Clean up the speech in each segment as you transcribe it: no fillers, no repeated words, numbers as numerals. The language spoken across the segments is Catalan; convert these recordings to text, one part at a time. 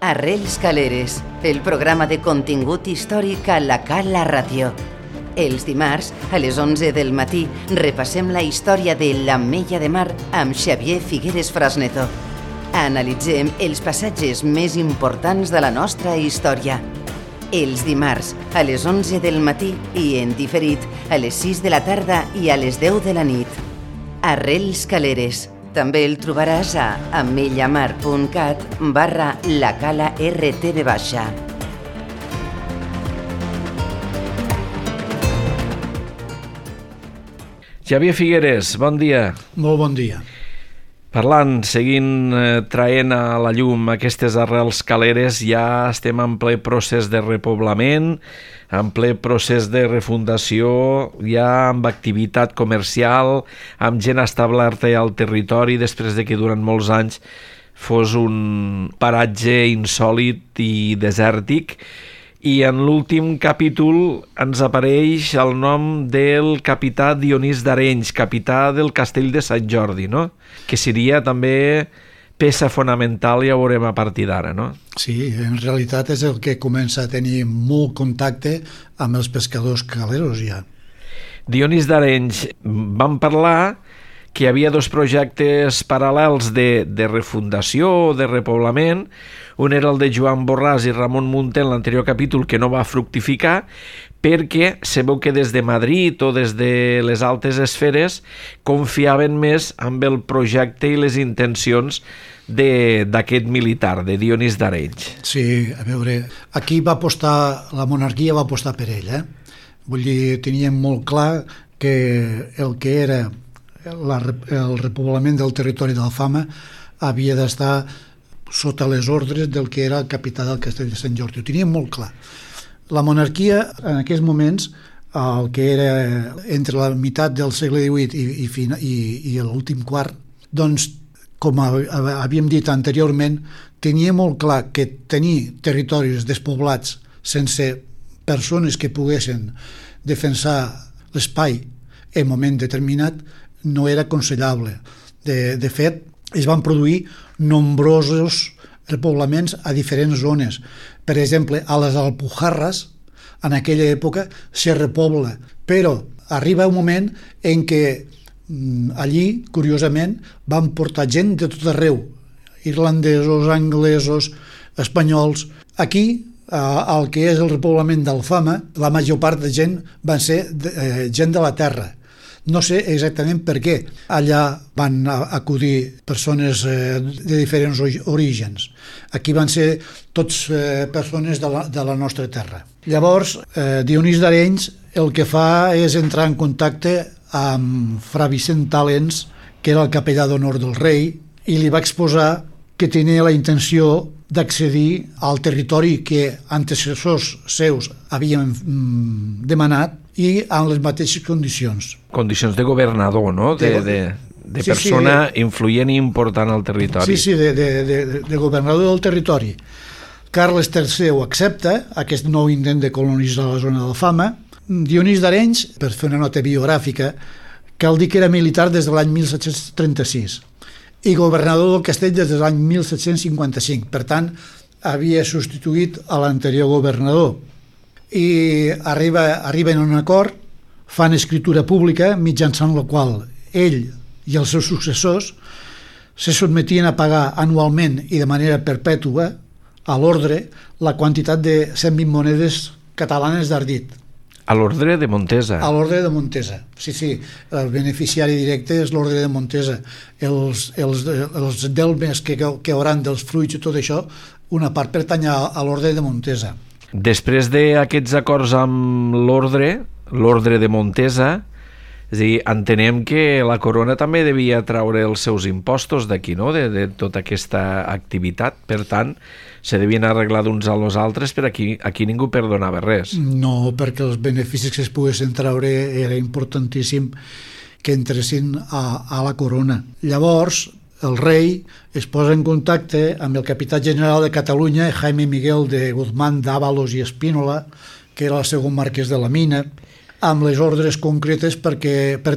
Arrels Caleres, el programa de contingut històric a la Cala Ràdio. Els dimarts, a les 11 del matí, repassem la història de l'Ametlla de Mar amb Xavier Figueres Frasneto. Analitzem els passatges més importants de la nostra història. Els dimarts, a les 11 del matí i en diferit, a les 6 de la tarda i a les 10 de la nit. Arrels Caleres. També el trobaràs a ametllamar.cat/lacala-rtv baixa. Xavier Figueres, bon dia. Molt bon dia. Parlant, seguint traient a la llum aquestes arrels caleres, ja estem en ple procés de repoblament, en ple procés de refundació, ja amb activitat comercial, amb gent establerta al territori, després de que durant molts anys fos un paratge insòlit i desèrtic. I en l'últim capítol ens apareix el nom del capità Dionís d'Arenys, capità del castell de Sant Jordi, no? Que seria també peça fonamental, ja ho veurem a partir d'ara, no? Sí, en realitat és el que comença a tenir molt contacte amb els pescadors caleros ja. Dionís d'Arenys, vam parlar que hi havia dos projectes paral·lels de refundació o de repoblament. Un era el de Joan Borràs i Ramon Munté en l'anterior capítol, que no va fructificar, perquè se veu que des de Madrid o des de les altes esferes confiaven més amb el projecte i les intencions d'aquest militar, de Dionís d'Arenys. Sí, a veure, aquí va apostar, la monarquia va apostar per ell, Vull dir, teníem molt clar que el que era el repoblament del territori d'Alfama havia d'estar sota les ordres del que era el capità del castell de Sant Jordi. Ho teníem molt clar. La monarquia, en aquells moments, el que era entre la meitat del segle XVIII i l'últim quart, doncs, com havíem dit anteriorment, tenia molt clar que tenir territoris despoblats sense persones que poguessin defensar l'espai en un moment determinat no era aconsellable. De fet, es van produir nombrosos repoblaments a diferents zones. Per exemple, a les Alpujarres, en aquella època, se repobla, però arriba un moment en què allí, curiosament, van portar gent de tot arreu, irlandesos, anglesos, espanyols. Aquí, el que és el repoblament d'Alfama, la major part de gent van ser gent de la terra. No sé exactament per què allà van acudir persones de diferents orígens. Aquí van ser tots persones de la nostra terra. Llavors, Dionís d'Arenys el que fa és entrar en contacte amb Fra Vicent Talens, que era el capellà d'honor del rei, i li va exposar que tenia la intenció d'accedir al territori que antecessors seus havien demanat i amb les mateixes condicions. Condicions de governador, no? De persona influent i important al territori. Sí, de governador del territori. Carles III ho accepta, aquest nou intent de colonitzar la zona d'Alfama. Dionís d'Arenys, per fer una nota biogràfica, cal dir que era militar des de l'any 1736 i governador del castell des de l'any 1755. Per tant, havia substituït a l'anterior governador. I arriben a un acord, fan escritura pública mitjançant la qual ell i els seus successors se sotmetien a pagar anualment i de manera perpètua a l'ordre la quantitat de 120 monedes catalanes d'ardit. A l'ordre de Montesa. A l'ordre de Montesa, sí. El beneficiari directe és l'ordre de Montesa. Els delmes que hauran dels fruits i tot això, una part pertany a l'ordre de Montesa. Després d'aquests acords amb l'ordre de Montesa, és a dir, entenem que la corona també devia traure els seus impostos d'aquí, no?, de tota aquesta activitat. Per tant, se devien arreglar d'uns als altres, però aquí ningú perdonava res. No, perquè els beneficis que es poguessin traure era importantíssim que entressin a la corona. Llavors, el rei es posa en contacte amb el capità general de Catalunya, Jaime Miguel de Guzmán d'Ábalos i Espínola, que era el segon marquès de la Mina, amb les ordres concretes per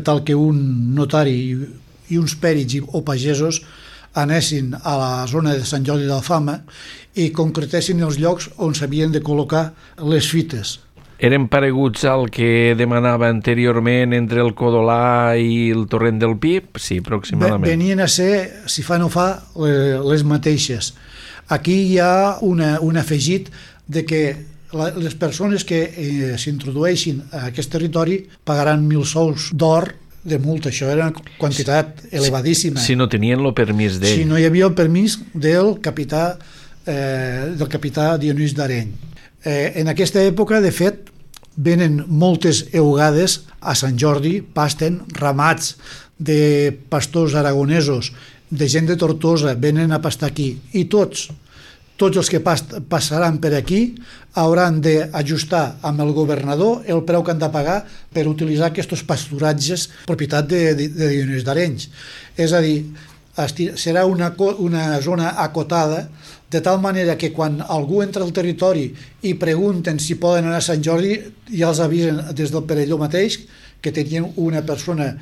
tal que un notari i uns pèrits o pagesos anessin a la zona de Sant Jordi d'Alfama i concretessin els llocs on s'havien de col·locar les fites. Eren pareguts al que demanava anteriorment entre el Codolà i el Torrent del Pi? Sí, aproximadament. Venien a ser, si fa no fa, les mateixes. Aquí hi ha un afegit de que les persones que s'introdueixin a aquest territori pagaran 1.000 sous d'or de multa. Això era una quantitat elevadíssima. Si no tenien el permís d'ell. Si no hi havia el permís del capità Dionís d'Areny. En aquesta època, de fet, venen moltes eugades a Sant Jordi, pasten ramats de pastors aragonesos, de gent de Tortosa, venen a pastar aquí, i tots els que passaran per aquí hauran d'ajustar amb el governador el preu que han de pagar per utilitzar aquests pasturatges propietat de Dionís d'Areny. És a dir, serà una zona acotada, de tal manera que quan algú entra al territori i pregunten si poden anar a Sant Jordi, ja els avisen des del Perelló mateix que tenien una persona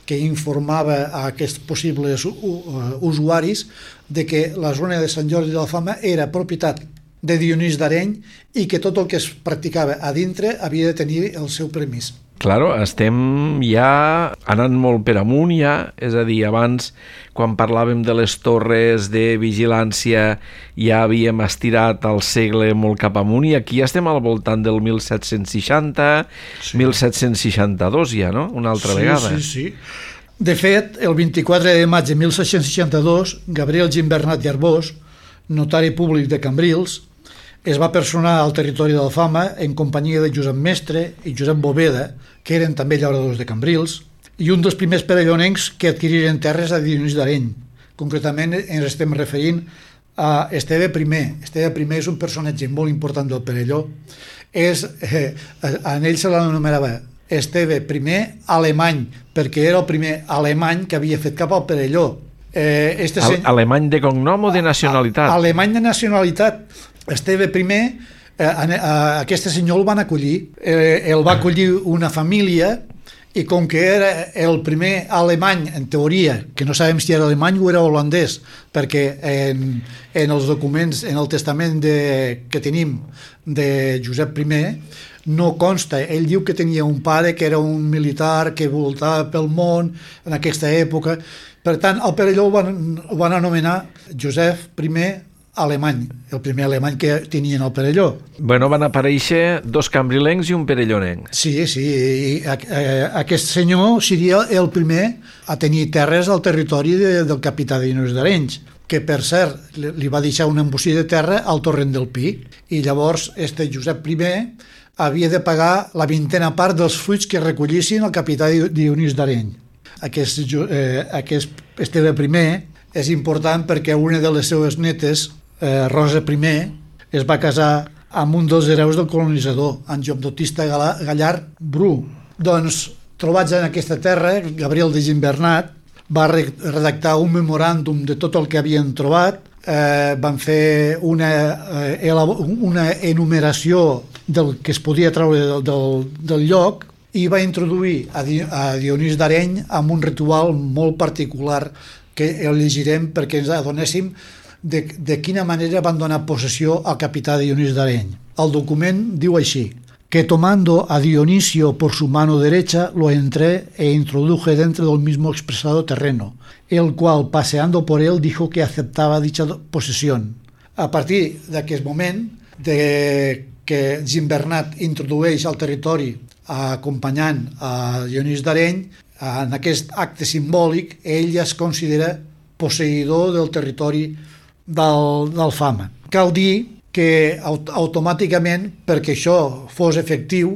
que informava a aquests possibles usuaris de que la zona de Sant Jordi d'Alfama era propietat de Dionís d'Areny i que tot el que es practicava a dintre havia de tenir el seu permís. Claro, estem ja anant molt per amunt ja, és a dir, abans quan parlàvem de les torres de vigilància ja havíem estirat el segle molt cap amunt i aquí estem al voltant del 1760, sí. 1762 ja, no? Una altra vegada. Sí. De fet, el 24 de maig de 1762, Gabriel Gimbernat i Arbós, notari públic de Cambrils, es va personar al territori d'Alfama en companyia de Josep Mestre i Josep Boveda, que eren també llauradors de Cambrils, i un dels primers perellonencs que adquiriren terres a Dionís d'Areny. Concretament ens estem referint a Esteve I. Esteve I és un personatge molt important del Perelló. En ell se l'anomenava Esteve I alemany, perquè era el primer alemany que havia fet cap al Perelló. Alemany de cognom o de nacionalitat? Alemany de nacionalitat. Esteve I, aquest senyor el van acollir, el va acollir una família i com que era el primer alemany, en teoria, que no sabem si era alemany o era holandès, perquè en els documents, en el testament que tenim de Josep I, no consta. Ell diu que tenia un pare que era un militar que voltava pel món en aquesta època. Per tant, al Perelló ho van anomenar Josep I alemany, el primer alemany que tenien al Perelló. Bueno, van aparèixer dos cambrilencs i un perellonenc. Sí, i aquest senyor seria el primer a tenir terres al territori del capità Dionís d'Areny, que per cert li va deixar una embossí de terra al Torrent del Pi, i llavors Josep I havia de pagar la 20ª part dels fruits que recollissin el capità Dionís d'Areny. Aquest Esteve I és important perquè una de les seues netes, Rosa I, es va casar amb un dels hereus del colonitzador, en Joan Baptista Gallard Bru. Doncs, trobats en aquesta terra, Gabriel de Gimbernat va redactar un memoràndum de tot el que havien trobat, van fer una enumeració del que es podia treure del lloc i va introduir a Dionís d'Areny amb un ritual molt particular que el llegirem perquè ens adonéssim de quina manera van donar possessió al capità Dionís d'Areny. El document diu així: que tomando a Dionisio por su mano derecha lo entré e introduje dentro del mismo expresado terreno, el cual paseando por él dijo que aceptaba dicha posesión. A partir d'aquest moment de que Gimbernat introdueix al territori acompanyant a Dionís d'Areny, en aquest acte simbòlic ell ja es considera posseïdor del territori d'Alfama. Cal dir que automàticament, perquè això fos efectiu,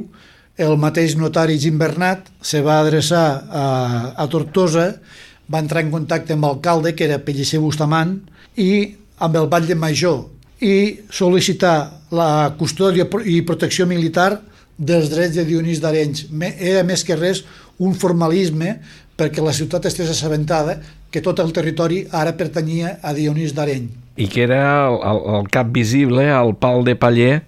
el mateix notari Gimbernat se va adreçar a Tortosa, va entrar en contacte amb l'alcalde, que era Pellicer Bustamant, i amb el batlle major, i sol·licitar la custòdia i protecció militar dels drets de Dionís d'Areny. Era més que res un formalisme perquè la ciutat estés assabentada que tot el territori ara pertanyia a Dionís d'Areny. I que era el cap visible, el pal de paller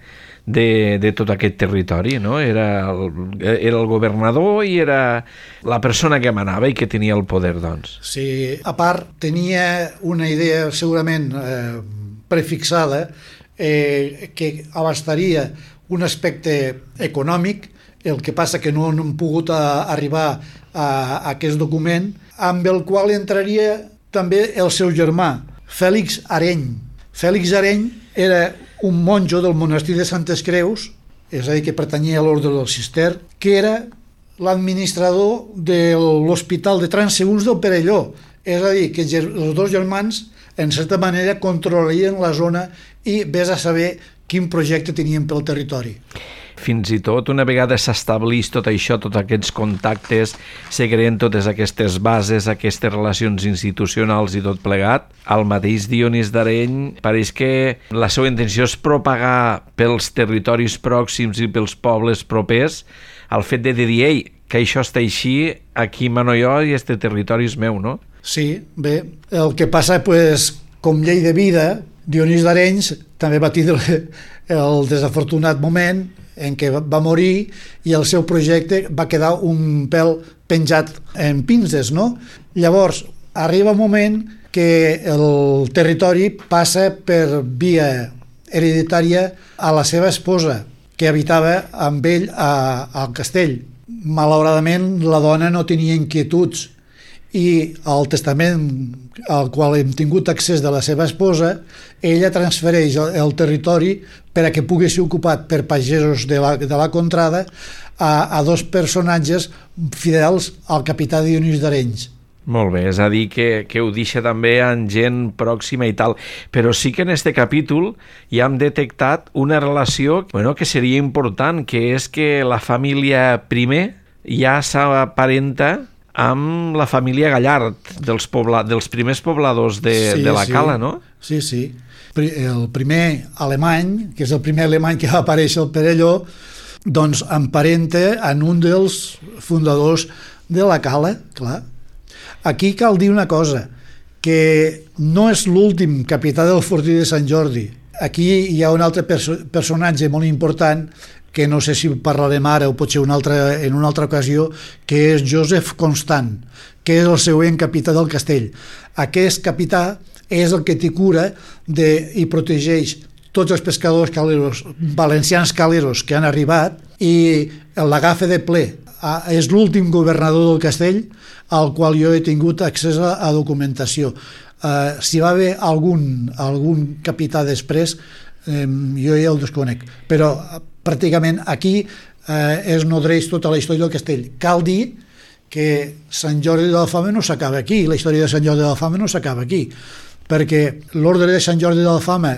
de tot aquest territori, no? Era el governador i era la persona que manava i que tenia el poder, doncs. Sí, a part, tenia una idea segurament prefixada que abastaria un aspecte econòmic, el que passa que no han pogut arribar a aquest document, amb el qual entraria també el seu germà, Fèlix Areny. Fèlix Areny era un monjo del monestir de Santes Creus, és a dir, que pertanyia a l'ordre del Cister, que era l'administrador de l'Hospital de Transeünts del Perelló. És a dir, que els dos germans, en certa manera, controlarien la zona i vés a saber quin projecte tenien pel territori. Fins i tot, una vegada s'establís tot això, tots aquests contactes, se creen totes aquestes bases, aquestes relacions institucionals i tot plegat, el mateix Dionís d'Areny pareix que la seva intenció és propagar pels territoris pròxims i pels pobles propers el fet de dir, ei, que això està així, aquí mano jo i este territori és meu, no? Sí, bé, el que passa, pues, com llei de vida, Dionís d'Areny també va tindre el desafortunat moment en què va morir i el seu projecte va quedar un pèl penjat en pinces, no? Llavors, arriba un moment que el territori passa per via hereditària a la seva esposa, que habitava amb ell al castell. Malauradament, la dona no tenia inquietuds i el testament al qual hem tingut accés de la seva esposa, ella transfereix el territori per a que pugui ser ocupat per pagesos de la contrada a dos personatges fidels al capità Dionís d'Areny. Molt bé, és a dir, que ho deixa també en gent pròxima i tal. Però sí que en este capítol ja hem detectat una relació que seria important, que és que la família primer ja s'aparenta amb la família Gallard, dels primers pobladors de la Cala, no? Sí, sí. El primer alemany, que és el primer alemany que va aparèixer al Perelló, doncs emparenta en un dels fundadors de la Cala, clar. Aquí cal dir una cosa, que no és l'últim capità del fortí de Sant Jordi. Aquí hi ha un altre personatge molt important, que no sé si parlarem ara o potser en una altra ocasió, que és Josep Constant, que és el següent capità del castell. Aquest capità és el que té cura i protegeix tots els pescadors caleros, valencians caleros que han arribat i l'agafa de ple. És l'últim governador del castell al qual jo he tingut accés a documentació. Si va haver algun capità després, jo ja el desconec, però pràcticament aquí es nodreix tota la història del castell. Cal dir que Sant Jordi de l'Alfama no s'acaba aquí, la història de Sant Jordi de l'Alfama no s'acaba aquí, perquè l'ordre de Sant Jordi de l'Alfama,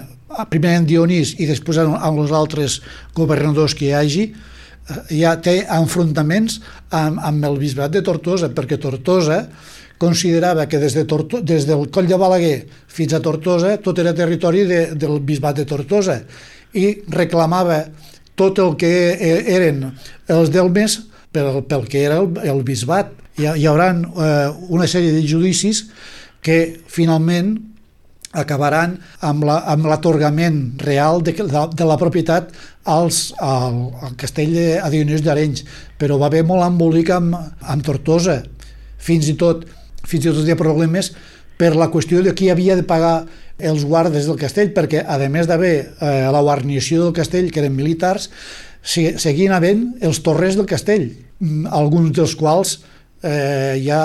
primer en Dionís i després amb els altres governadors que hi hagi, ja té enfrontaments amb el bisbat de Tortosa, perquè Tortosa considerava que des del Coll de Balaguer fins a Tortosa tot era territori del bisbat de Tortosa i reclamava tot el que eren els delmes pel que era el bisbat. Hi haurà una sèrie de judicis que finalment acabaran amb l'atorgament real de la propietat al castell de Dionís d'Areny, però va haver molt embolic amb Tortosa. Fins i tot hi ha problemes per la qüestió de qui havia de pagar els guardes del castell, perquè a més d'haver la guarnició del castell, que eren militars, seguien havent els torrers del castell, alguns dels quals ja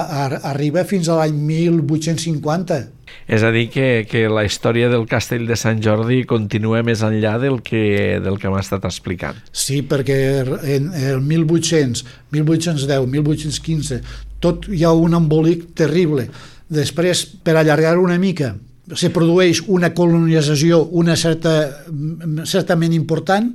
arriba fins a l'any 1850. És a dir, que la història del castell de Sant Jordi continua més enllà del que m'ha estat explicant. Sí, perquè en el 1800, 1810, 1815, tot hi ha un embolic terrible. Després, per allargar una mica, se produeix una colonització certament important.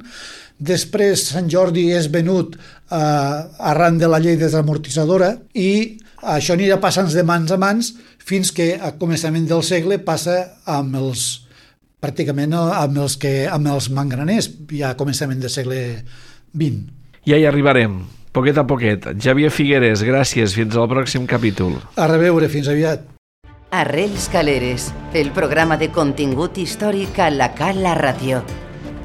Després Sant Jordi és venut arran de la llei desamortitzadora i això anirà passant de mans a mans fins que a començament del segle passa amb els mangraners, ja a començament del segle XX. Ja hi arribarem, poquet a poquet. Xavier Figueres, gràcies, fins al pròxim capítol. A reveure, fins aviat. Arrels Caleres, el programa de contingut històric a la Cala Ràdio.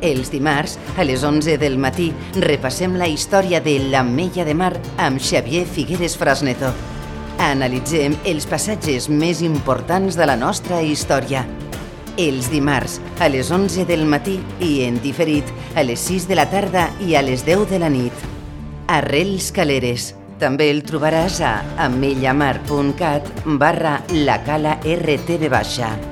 Els dimarts, a les 11 del matí, repassem la història de l'Ametlla de Mar amb Xavier Figueres Frasneto. Analitzem els passatges més importants de la nostra història. Els dimarts, a les 11 del matí i en diferit, a les 6 de la tarda i a les 10 de la nit. Arrels Caleres. També el trobaràs a ametllamar.cat/lacala rtv-.